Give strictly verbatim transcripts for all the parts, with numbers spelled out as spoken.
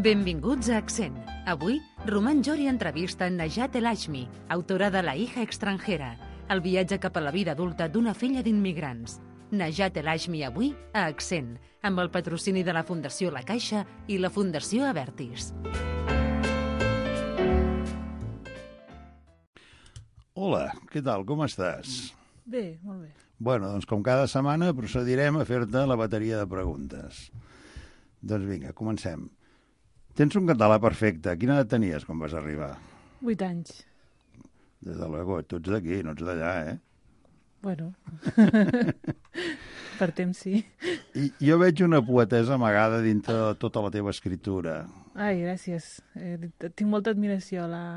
Benvinguts a Accent. Avui, Roman Jori entrevista Najat El Hashmi, autora de La hija extranjera, el viatge cap a la vida adulta d'una filla d'immigrants. Najat El Hashmi avui a Accent, amb el patrocini de la Fundació La Caixa i la Fundació Avertis. Hola, què tal? Com estàs? Bé, molt bé. Bueno, doncs com cada setmana procedirem a fer-te la bateria de preguntes. Doncs vinga, comencem. Tens un català perfecte. Quina edat tenies quan vas arribar? Vuit anys. Des de luego, tu ets d'aquí, no ets d'allà, eh? Bueno, per temps sí. I jo veig una poetesa amagada dintre de tota la teva escritura. Ai, gràcies. Eh, tinc molta admiració a la,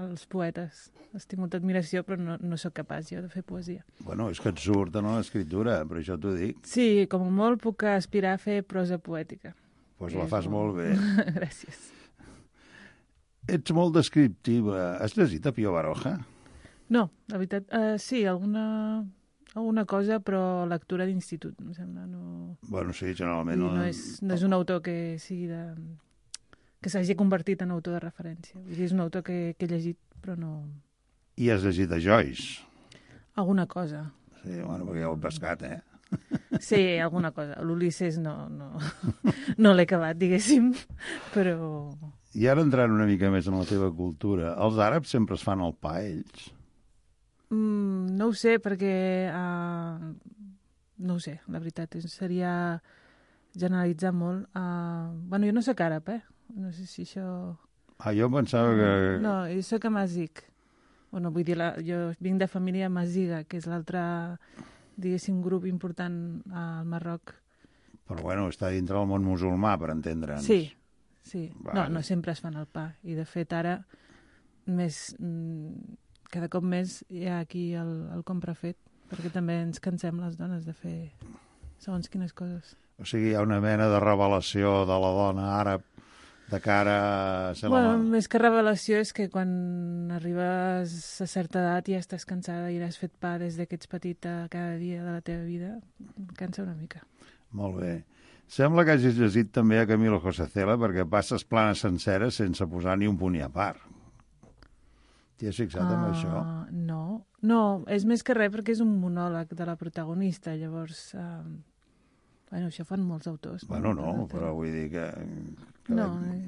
als poetes. Els tinc molta admiració, però no, no sóc capaç jo de fer poesia. Bueno, és que et surt en l'escriptura, per això t'ho dic. Sí, com a molt puc aspirar a fer prosa poètica. Doncs pues la fas molt bé. Gràcies. Ets molt descriptiva. Has llegit a Pío Baroja? No, la veritat, uh, sí, alguna, alguna cosa, però lectura d'institut, em sembla. No... Bueno, sí, generalment... No, no, és, no és un autor que sigui de... que s'hagi convertit en autor de referència. Vull dir, és un autor que, que he llegit, però no... I has llegit a Joyce? Alguna cosa. Sí, bueno, perquè ja ho he pescat, eh? Sí, alguna cosa. L'Ulisses no, no, no l'he acabat, diguéssim, però... I ara entrant una mica més en la teva cultura, els àrabs sempre es fan el pa, ells? Mm, no ho sé, perquè... Uh, no ho sé, la veritat, seria generalitzar molt. Uh, bueno, jo no soc àrab, eh? No sé si això... Ah, jo pensava que... No, jo soc amazigh. Bueno, vull dir, la, jo vinc de família amaziga, que és l'altre, diguéssim, grup important al Marroc. Però bueno, està dintre del món musulmà, per entendre'ns. Sí, sí. Vale. No, no sempre es fan el pa. I de fet ara, més, cada cop més hi ha aquí el, el compra fet, perquè també ens cansem les dones de fer segons quines coses. O sigui, hi ha una mena de revelació de la dona àrab de cara a ser bueno, la mà. Més que revelació és que quan arribes a certa edat ja estàs cansada i has fet pa des que ets petita cada dia de la teva vida, cansa una mica. Molt bé. Sembla que hagis llegit també a Camilo José Cela perquè passes planes senceres sense posar ni un punt i a part. T'hi has fixat uh, amb això? No, no, és més que res perquè és un monòleg de la protagonista, llavors... Uh, bueno, això fan molts autors. Bueno, no, no però vull dir que... que... No, eh,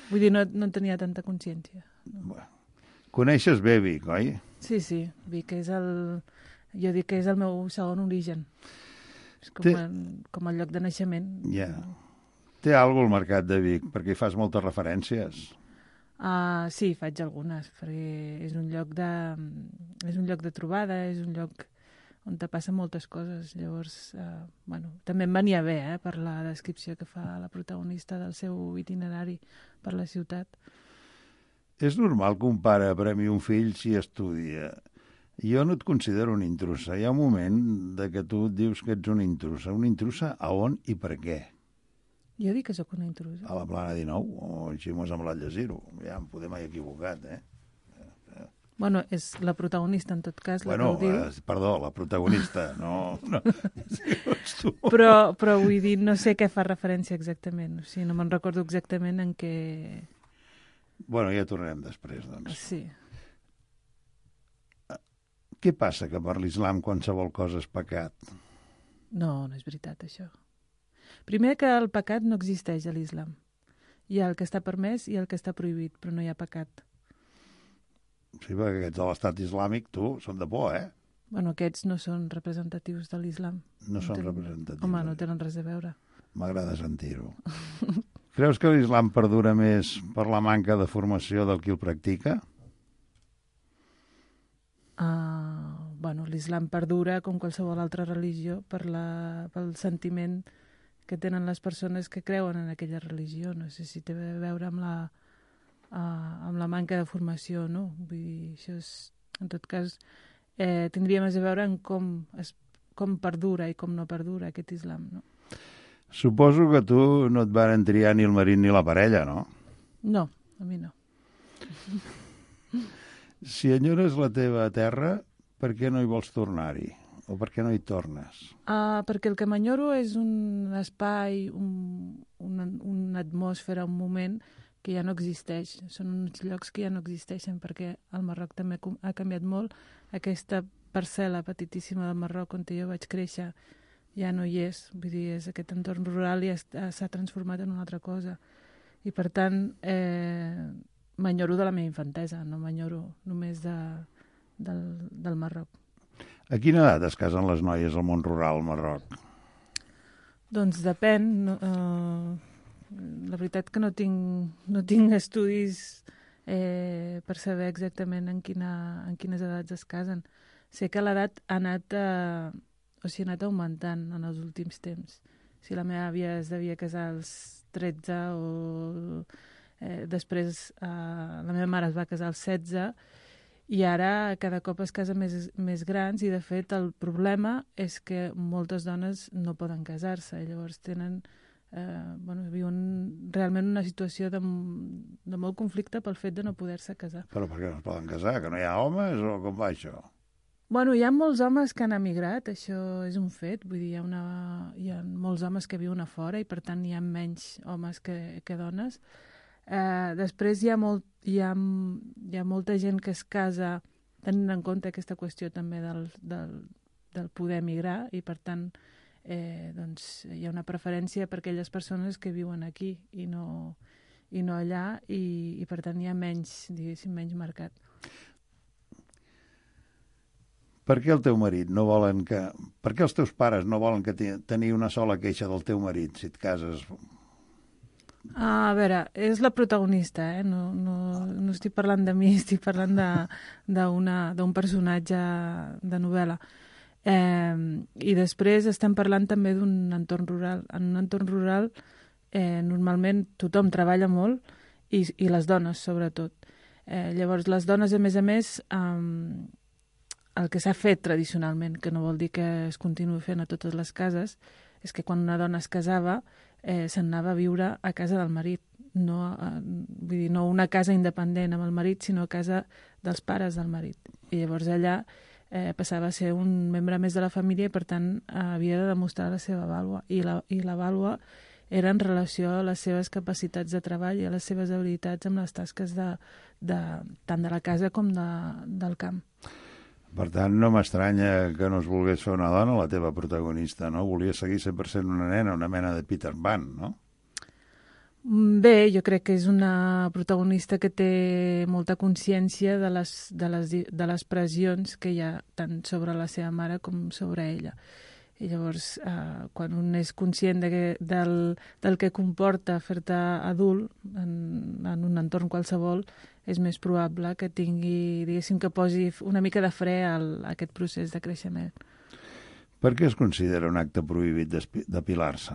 vull dir, no, no tenia tanta consciència. No. Bueno. Coneixes bé Vic, oi? Sí, sí, Vic és el... Jo dic que és el meu segon origen. És com, Té... el, com el lloc de naixement. Ja. Yeah. Té alguna el mercat de Vic, perquè hi fas moltes referències. Uh, sí, faig algunes, perquè és un lloc de, és un lloc de trobada, és un lloc on te passen moltes coses. Llavors, uh, bueno, també em venia bé, eh, per la descripció que fa la protagonista del seu itinerari per la ciutat. És normal que un pare premi un fill si estudia. Jo no et considero una intrusa. Hi ha un moment de que tu et dius que ets una intrusa. Una intrusa a on i per què? Jo dic que sóc una intrusa. A la Plana dinou, o així m'ho ha semblat llegir-ho. Ja em podem haver equivocat, eh? Bueno, és la protagonista, en tot cas, la bueno, que ho diu. Eh, perdó, la protagonista, no... no. Sí, però, però vull dir, no sé què fa referència exactament. O sigui, no me'n recordo exactament en què... Bueno, ja tornarem després, doncs. Sí. Què passa que per l'islam qualsevol cosa és pecat? No, no és veritat, això. Primer que el pecat no existeix a l'islam. Hi ha el que està permès i el que està prohibit, però no hi ha pecat. Sí, perquè aquests de l'estat islàmic, tu, són de por, eh? Bueno, aquests no són representatius de l'islam. No, no són tenen... representatius. Home, no tenen res a veure. M'agrada sentir-ho. Creus que l'islam perdura més per la manca de formació del qui el practica? Uh, bueno, l'islam perdura, com qualsevol altra religió, per la, pel sentiment que tenen les persones que creuen en aquella religió. No sé si té a veure amb la... Uh, amb la manca de formació, no? Vull dir, això és, en tot cas, eh, tindria més a veure en com, es, com perdura i com no perdura aquest islam, no? Suposo que tu no et van triar ni el marit ni la parella, no? No, a mi no. Si enyores la teva terra, per què no hi vols tornar-hi? O per què no hi tornes? Uh, perquè el que m'enyoro és un espai, un, una, una atmosfera, un moment que ja no existeix. Són uns llocs que ja no existeixen, perquè el Marroc també ha canviat molt. Aquesta parcel·la petitíssima del Marroc on jo vaig créixer ja no hi és. Vull dir, és aquest entorn rural i s'ha transformat en una altra cosa. I per tant, eh, m'enyoro de la meva infantesa, no m'enyoro només de, del, del Marroc. A quina edat es casen les noies al món rural al Marroc? Doncs depèn. No, eh, la veritat que no tinc, no tinc estudis eh, per saber exactament en, quina, en quines edats es casen. Sé que l'edat ha anat, eh, o sigui, ha anat augmentant en els últims temps. Si la meva àvia es devia casar als tretze o eh, després eh, la meva mare es va casar als setze, i ara cada cop es casen més, més grans i, de fet, el problema és que moltes dones no poden casar-se i llavors tenen, eh, bueno, viuen realment una situació de, de molt conflicte pel fet de no poder-se casar. Però per què no es poden casar? Que no hi ha homes o com va això? Bueno, hi ha molts homes que han emigrat, això és un fet, vull dir, hi ha, una, hi ha molts homes que viuen a fora i per tant hi ha menys homes que, que dones. Eh, després hi ha, molt, hi, ha, hi ha molta gent que es casa tenint en compte aquesta qüestió també del, del, del poder emigrar i per tant eh, doncs, hi ha una preferència per aquelles persones que viuen aquí i no, i no allà i, i per tant hi ha menys, diguéssim, menys mercat. Per què el teu marit no volen que... Per què els teus pares no volen que tenir una sola queixa del teu marit si et cases? A veure, és la protagonista, eh? no, no, no estic parlant de mi, estic parlant d'un personatge de novel·la. Eh, I després estem parlant també d'un entorn rural. En un entorn rural eh, normalment tothom treballa molt i, i les dones, sobretot. Eh, llavors, les dones, a més a més, eh, el que s'ha fet tradicionalment, que no vol dir que es continuï fent a totes les cases, és que quan una dona es casava eh, se'n anava a viure a casa del marit. No, eh, vull dir, no una casa independent amb el marit, sinó a casa dels pares del marit. I llavors allà eh, passava a ser un membre més de la família i per tant eh, havia de demostrar la seva vàlua. I la, i la vàlua era en relació a les seves capacitats de treball i a les seves habilitats amb les tasques de, de, tant de la casa com de, del camp. Per tant, no m'estranya que no es volgués fer una dona la teva protagonista, no? Volia seguir cent per cent una nena, una mena de Peter Pan, no? Bé, jo crec que és una protagonista que té molta consciència de les, de les, de les pressions que hi ha tant sobre la seva mare com sobre ella. I llavors, eh, quan un és conscient de que, del, del que comporta fer-te adult en, en un entorn qualsevol, és més probable que tingui, diguéssim, que posi una mica de fre al, a aquest procés de creixement. Per què es considera un acte prohibit depilar-se?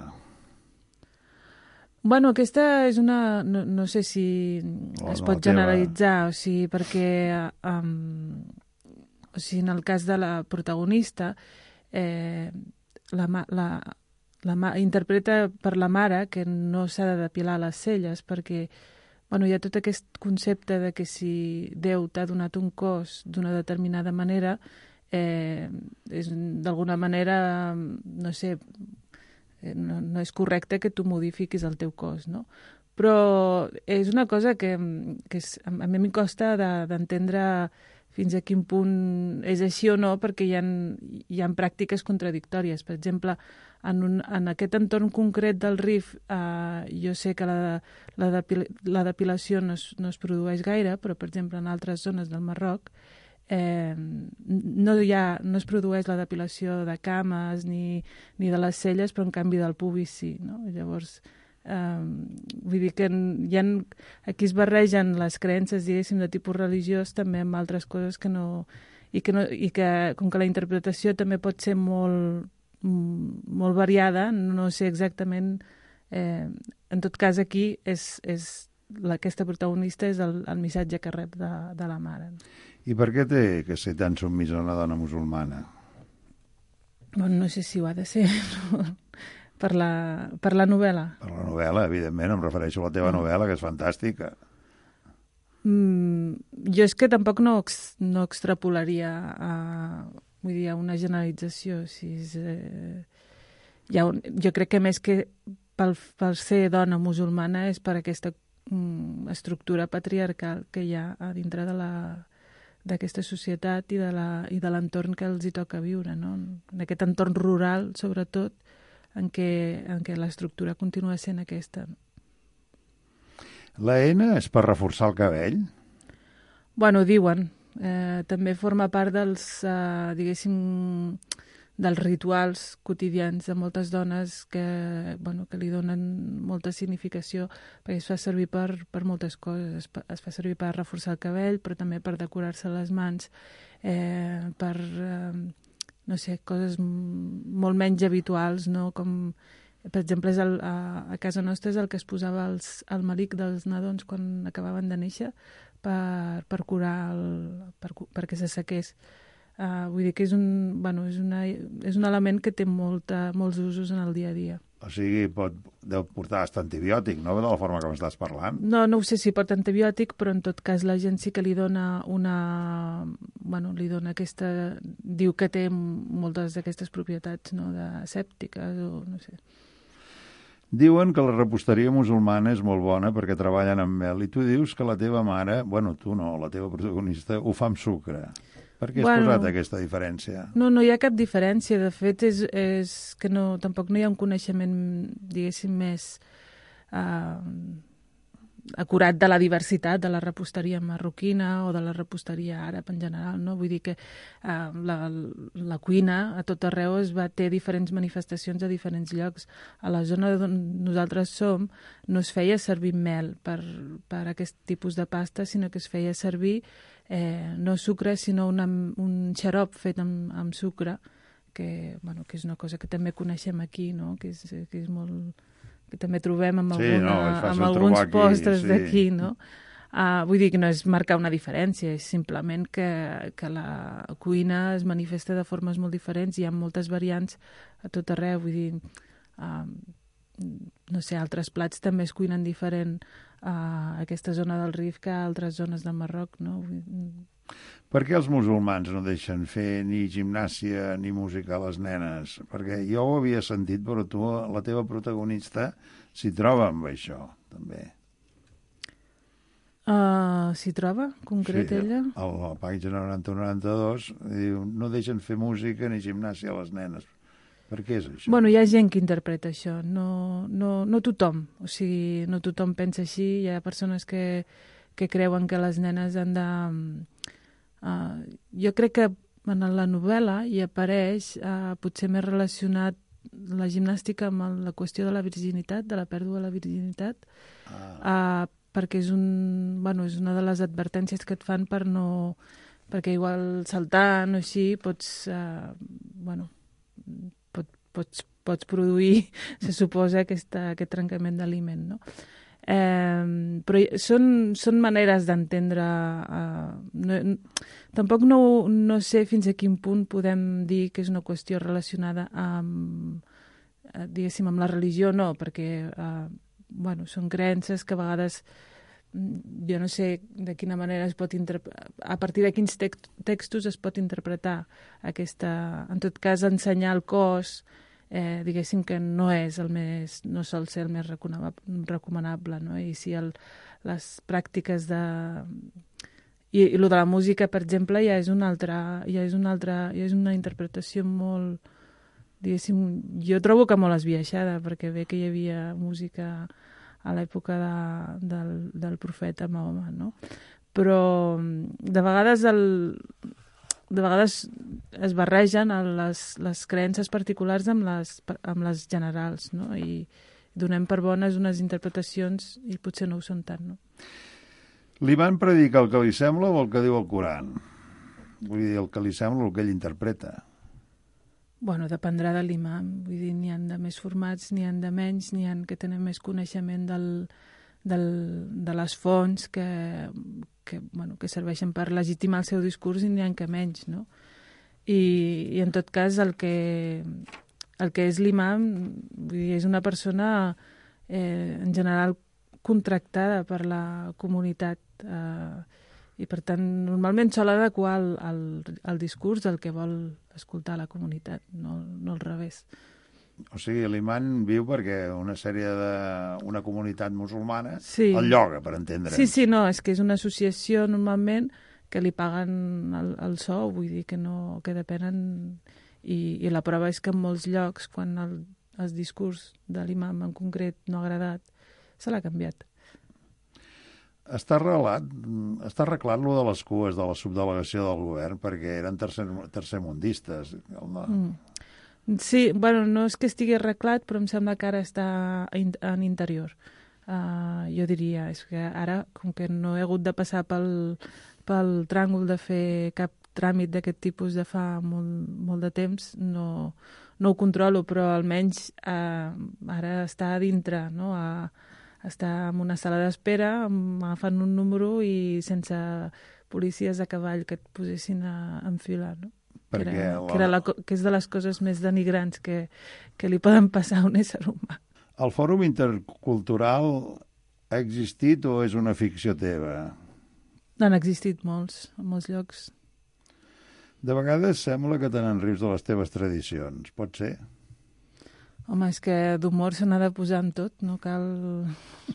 Bueno, aquesta és una... No, no sé si oh, es pot no, generalitzar, teva... o sigui, perquè um, o sigui, en el cas de la protagonista, eh, la, la, la, interpreta per la mare que no s'ha de depilar les celles, perquè bueno, hi ha tot aquest concepte de que si Déu t'ha donat un cos d'una determinada manera, eh, és d'alguna manera, no sé, no, no és correcte que tu modifiquis el teu cos, no? Però és una cosa que, que és, a mi em costa d'entendre fins a quin punt és així o no, perquè hi ha, hi ha pràctiques contradictòries. Per exemple, en, un, en aquest entorn concret del Rif, eh, jo sé que la, la, depil, la depilació no es, no es produeix gaire, però, per exemple, en altres zones del Marroc eh, no, hi ha, no es produeix la depilació de cames ni, ni de les celles, però, en canvi, del pubis sí. No? Llavors, Um, vull dir que hi ha, aquí es barregen les creences, diguéssim, de tipus religiós també amb altres coses que no... I que, no, i que com que la interpretació també pot ser molt, molt variada, no sé exactament... Eh, en tot cas, aquí és, és la, aquesta protagonista és el, el missatge que rep de, de la mare. I per què té que ser tan submisa una dona musulmana? Bueno, no sé si ho ha de ser, no? Per la, per la novel·la. Per la novel·la, evidentment, em refereixo a la teva novel·la, que és fantàstica. Mm, jo és que tampoc no, no extrapolaria a... vull dir, hi ha una generalització. Si és, eh, hi ha un, jo crec que més que pel, pel ser dona musulmana és per aquesta mm, estructura patriarcal que hi ha a dintre de la d'aquesta societat i de la, i de l'entorn que els hi toca viure, no? En aquest entorn rural, sobretot, en què, en què l'estructura continua sent aquesta. La N és per reforçar el cabell? Bueno, diuen. Eh, també forma part dels, eh, diguéssim, dels rituals quotidians de moltes dones que, bueno, que li donen molta significació, perquè es fa servir per, per moltes coses. Es, es fa servir per reforçar el cabell, però també per decorar-se les mans, eh, per, eh, no sé, coses molt menys habituals, no? Com, per exemple, és el, a, a casa nostra és el que es posava els, el malic dels nadons quan acabaven de néixer per, per curar, el, per, perquè s'assequés. Uh, vull dir que és un, bueno, és, una, és un element que té molta, molts usos en el dia a dia. O sigui, pot, deu portar hasta antibiòtic, no?, de la forma que m'estàs parlant. No, no ho sé si porta antibiòtic, però en tot cas la gent sí que li dona una... Bueno, li dona aquesta... Diu que té moltes d'aquestes propietats, no?, de sèptiques o no sé. Diuen que la reposteria musulmana és molt bona perquè treballen amb mel, i tu dius que la teva mare, bueno, tu no, la teva protagonista, ho fa amb sucre. Per què has bueno, posat aquesta diferència? No, no hi ha cap diferència. De fet, és, és que no, tampoc no hi ha un coneixement, diguéssim, més uh, acurat de la diversitat de la reposteria marroquina o de la reposteria àrab en general, no? Vull dir que uh, la, la cuina a tot arreu es va, té diferents manifestacions a diferents llocs. A la zona on nosaltres som no es feia servir mel per, per aquest tipus de pasta, sinó que es feia servir Eh, no sucre, sinó una, un xarop fet amb, amb sucre, que, bueno, que és una cosa que també coneixem aquí, no? que, és, que és molt... que també trobem amb, sí, alguna, no, amb alguns aquí, postres sí. d'aquí, no? Uh, vull dir que no és marcar una diferència, és simplement que, que la cuina es manifesta de formes molt diferents, hi ha moltes variants a tot arreu, vull dir... Uh, no sé, altres plats també es cuinen diferent a aquesta zona del Rif que a altres zones del Marroc, no? Per què els musulmans no deixen fer ni gimnàsia ni música a les nenes? Perquè jo ho havia sentit, però tu, la teva protagonista, s'hi troba amb això, també. Uh, s'hi troba, concret, sí, ella? A la pàgina noranta noranta-dos diu no deixen fer música ni gimnàsia a les nenes. Per què és això? Bueno, hi ha gent que interpreta això, no, no, no tothom, o sigui, no tothom pensa així, hi ha persones que, que creuen que les nenes han de... Uh, jo crec que en la novel·la hi apareix uh, potser més relacionat la gimnàstica amb la qüestió de la virginitat, de la pèrdua de la virginitat, ah. uh, perquè és, un, bueno, és una de les advertències que et fan per no... perquè igual saltant o així pots... Uh, bueno, Pots, pots produir, se suposa, aquesta, aquest trencament d'aliment, no? Eh, però són, són maneres d'entendre... Eh, no, tampoc no, no sé fins a quin punt podem dir que és una qüestió relacionada amb, eh, diguéssim, amb la religió, no, perquè eh, bueno, són creences que a vegades jo no sé de quina manera es pot interpretar, a partir de quins text, textos es pot interpretar aquesta... En tot cas, ensenyar el cos... Eh, diguéssim que no és el més, no sol ser el més recomanable, no? I si el, les pràctiques de... I, i el de la música, per exemple, ja és una altra, ja és una altra, ja és una interpretació molt, diguéssim, jo trobo que molt esbiaixada, perquè bé que hi havia música a l'època de, del, del profeta Mahoma, no? Però de vegades el... de vegades es barregen les, les creences particulars amb les, amb les generals, no? I donem per bones unes interpretacions i potser no ho són tant, no? Li van predicar el que li sembla o el que diu el Coran? Vull dir, el que li sembla o el que ell interpreta? Bueno, dependrà de l'imam. Vull dir, n'hi ha de més formats, n'hi ha de menys, n'hi ha que tenen més coneixement del, del, de les fonts que... que, bueno, que serveixen per legitimar el seu discurs i n'hi ha que menys, no? I, i en tot cas el que, el que és l'imam vull dir, és una persona eh, en general contractada per la comunitat eh, I, per tant, normalment sol adequar el, el, el discurs al que vol escoltar la comunitat, no, no al revés. O sigui, l'imam viu perquè una sèrie de... una comunitat musulmana sí. el lloga, per entendre'ns. Sí, sí, no, és que és una associació normalment que li paguen el, el sou, vull dir que no, que depenen... I, i la prova és que en molts llocs, quan el, el discurs de l'imam en concret no ha agradat, se l'ha canviat. Està arreglat, està arreglat lo de les cues de la subdelegació del govern perquè eren tercer, tercermundistes. No. Mm. Sí, bueno, no és que estigui arreglat, però em sembla que ara està in, en interior. Uh, jo diria, és que ara, com que no he hagut de passar pel, pel tràngol de fer cap tràmit d'aquest tipus de fa molt, molt de temps, no, no ho controlo, però almenys uh, ara està a dintre, no? A, està en una sala d'espera, agafant un número i sense policies a cavall que et posessin a enfilar, no? Perquè que, era, la... que, era la, que és de les coses més denigrants que, que li poden passar a un ésser humà. El Fòrum Intercultural ha existit o és una ficció teva? Han existit molts, en molts llocs. De vegades sembla que te n'enrius de les teves tradicions, pot ser? Home, és que d'humor se n'ha de posar en tot, no cal,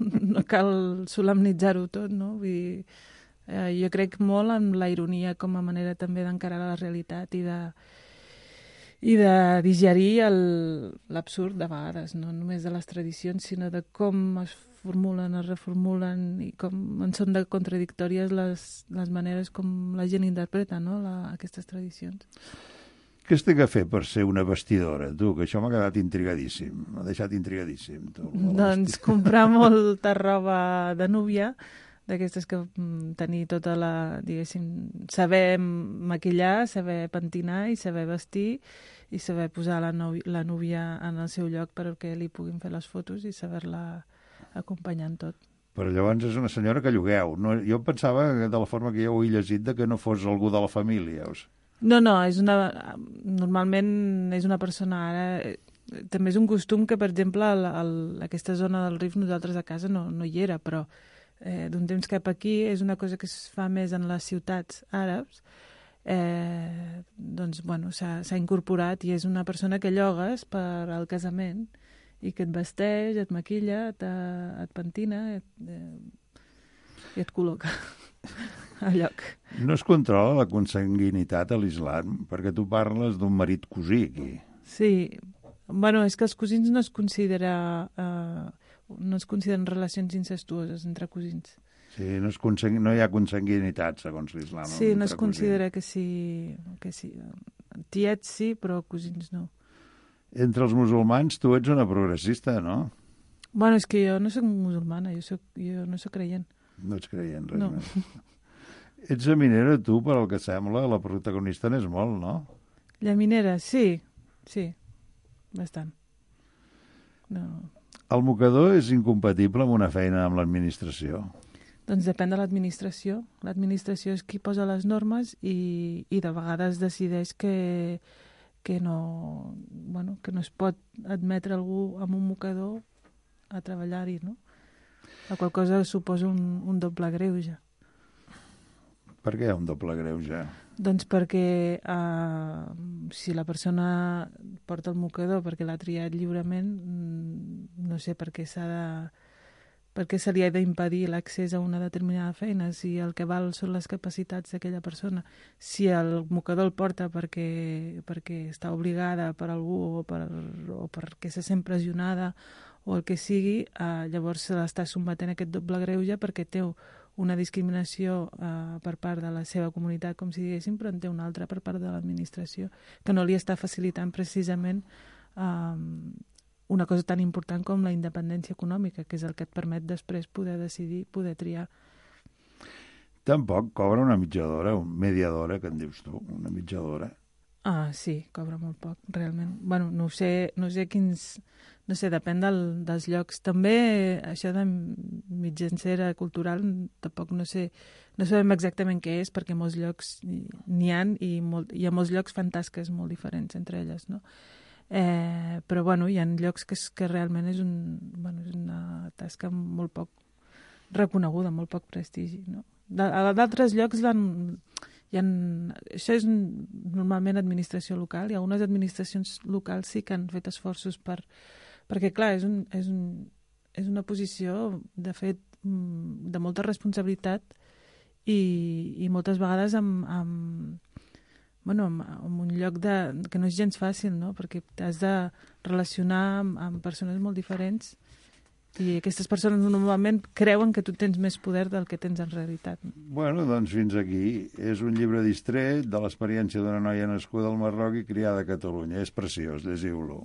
no cal solemnitzar-ho tot, no? Vull dir, eh, jo crec molt en la ironia com a manera també d'encarar la realitat i de, i de digerir l'absurd de vegades, no només de les tradicions, sinó de com es formulen, es reformulen i com en són de contradictòries les, les maneres com la gent interpreta, no? la, aquestes tradicions. Què es té que fer per ser una vestidora, tu? Que això m'ha quedat intrigadíssim, m'ha deixat intrigadíssim. Tu, doncs comprar molta roba de núvia, d'aquestes que mm, tenir tota la, diguéssim, saber maquillar, saber pentinar i saber vestir i saber posar la, novi, la núvia en el seu lloc perquè li puguin fer les fotos i saber-la acompanyar en tot. Però llavors és una senyora que llogueu. No, jo pensava, de la forma que jo ho he llegit, de que no fos algú de la família. O sigui. No, no, és una, normalment és una persona ara... També és un costum que, per exemple, el, el, aquesta zona del Rif nosaltres a casa no, no hi era, però eh, d'un temps cap aquí és una cosa que es fa més en les ciutats àrabs. Eh, doncs, bueno, s'ha incorporat i és una persona que llogues per al casament i que et vesteix, et maquilla, et, et pentina et, eh, i et col·loca al lloc. No es controla la consanguinitat a l'islam, perquè tu parles d'un marit cosí aquí. Sí, bueno, és que els cosins no es considera, eh, no es consideren relacions incestuoses entre cosins. Sí, no, es consang... no hi ha consanguinitat, segons l'islam. Sí, no es considera que sí, que sí. Tiets sí, però cosins no. Entre els musulmans tu ets una progressista, no? Bueno, és que jo no soc musulmana, jo, soc, jo no soc creient. No ets creient, res no. més. Ets minera, tu, per al que sembla, la protagonista n'és molt, no? La minera, sí, sí, bastant. No. El mocador és incompatible amb una feina amb l'administració? Doncs depèn de l'administració. L'administració és qui posa les normes i, i de vegades decideix que... que no, bueno, que no es pot admetre algú amb un mocador a treballar-hi, no? La qual cosa suposa un, un doble greuge. Per què un doble greuge? Doncs perquè eh, si la persona porta el mocador perquè l'ha triat lliurement, no sé per què s'ha de... per què se li ha d'impedir l'accés a una determinada feina, si el que val són les capacitats d'aquella persona. Si el mocador el porta perquè, perquè està obligada per algú o, per, o perquè se sent pressionada o el que sigui, eh, llavors se l'està sotmetent a aquest doble greuge perquè té una discriminació eh, per part de la seva comunitat, com si diguéssim, però en té una altra per part de l'administració, que no li està facilitant precisament eh, una cosa tan important com la independència econòmica, que és el que et permet després poder decidir, poder triar. Tampoc cobra una mitjadora, una mediadora, que en dius tu, una mitjadora. Ah, sí, cobra molt poc, realment. Bueno, no sé, no sé quins... No sé, depèn del, dels llocs. També això de mitjancera cultural, tampoc no sé... No sabem exactament què és, perquè molts llocs n'hi ha i, molt, i a molts llocs fan tasques molt diferents entre elles, no? Eh, però bueno, hi ha llocs que, és, que realment és, un, bueno, és una tasca molt poc reconeguda, molt poc prestigi, no? D'altres llocs l'han... Hi ha, això és normalment administració local, i algunes administracions locals sí que han fet esforços per... Perquè, clar, és, un, és, un, és una posició, de fet, de molta responsabilitat i, i moltes vegades amb, amb, bueno, amb, amb un lloc de, que no és gens fàcil, no? Perquè t'has de relacionar amb, amb persones molt diferents i aquestes persones normalment creuen que tu tens més poder del que tens en realitat. Bueno, doncs fins aquí. És un llibre distret de l'experiència d'una noia nascuda al Marroc i criada a Catalunya. És preciós, llegiu-lo.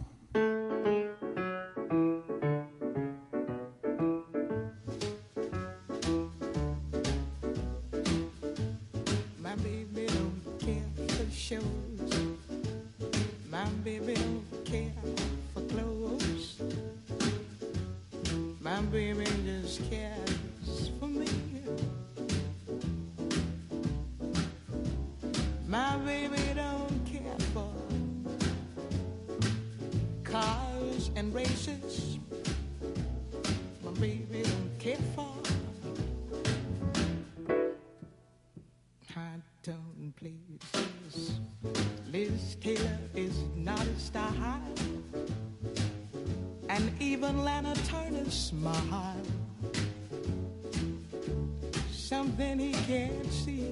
Something he can't see.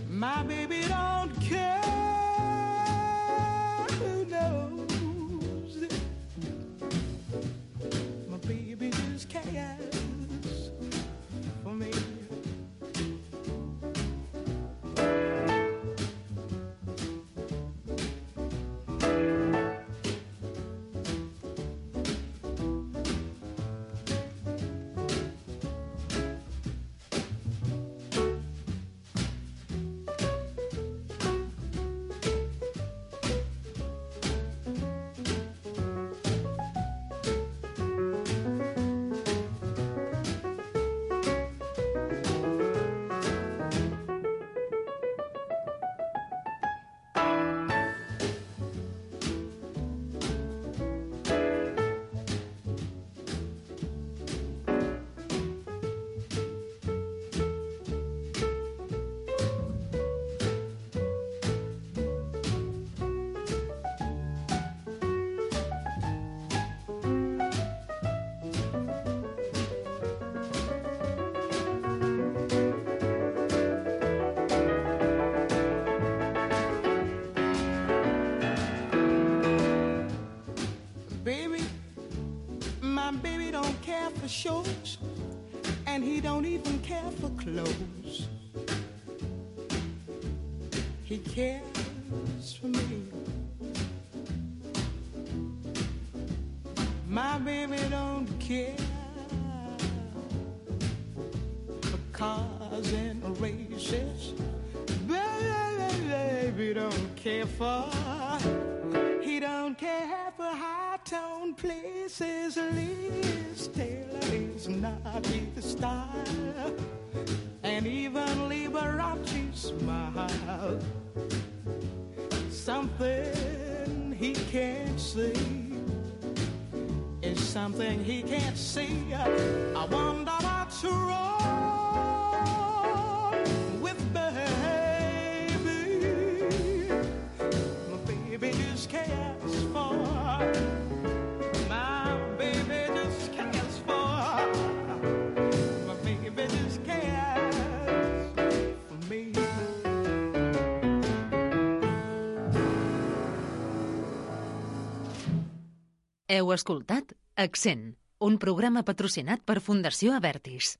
My baby don't care who knows it. My baby just cares for me. For shows, and he don't even care for clothes. He cares for me. My baby don't care for cars and races. Baby don't care for. He don't care for high-tone places. Liz Taylor is not his style, and even Liberace smile. Something he can't see is something he can't see. I wonder what's wrong with baby. My baby just cares for. My baby just cares for. My baby just cares for me. Heu escoltat Accent, un programa patrocinat per Fundació Avertis.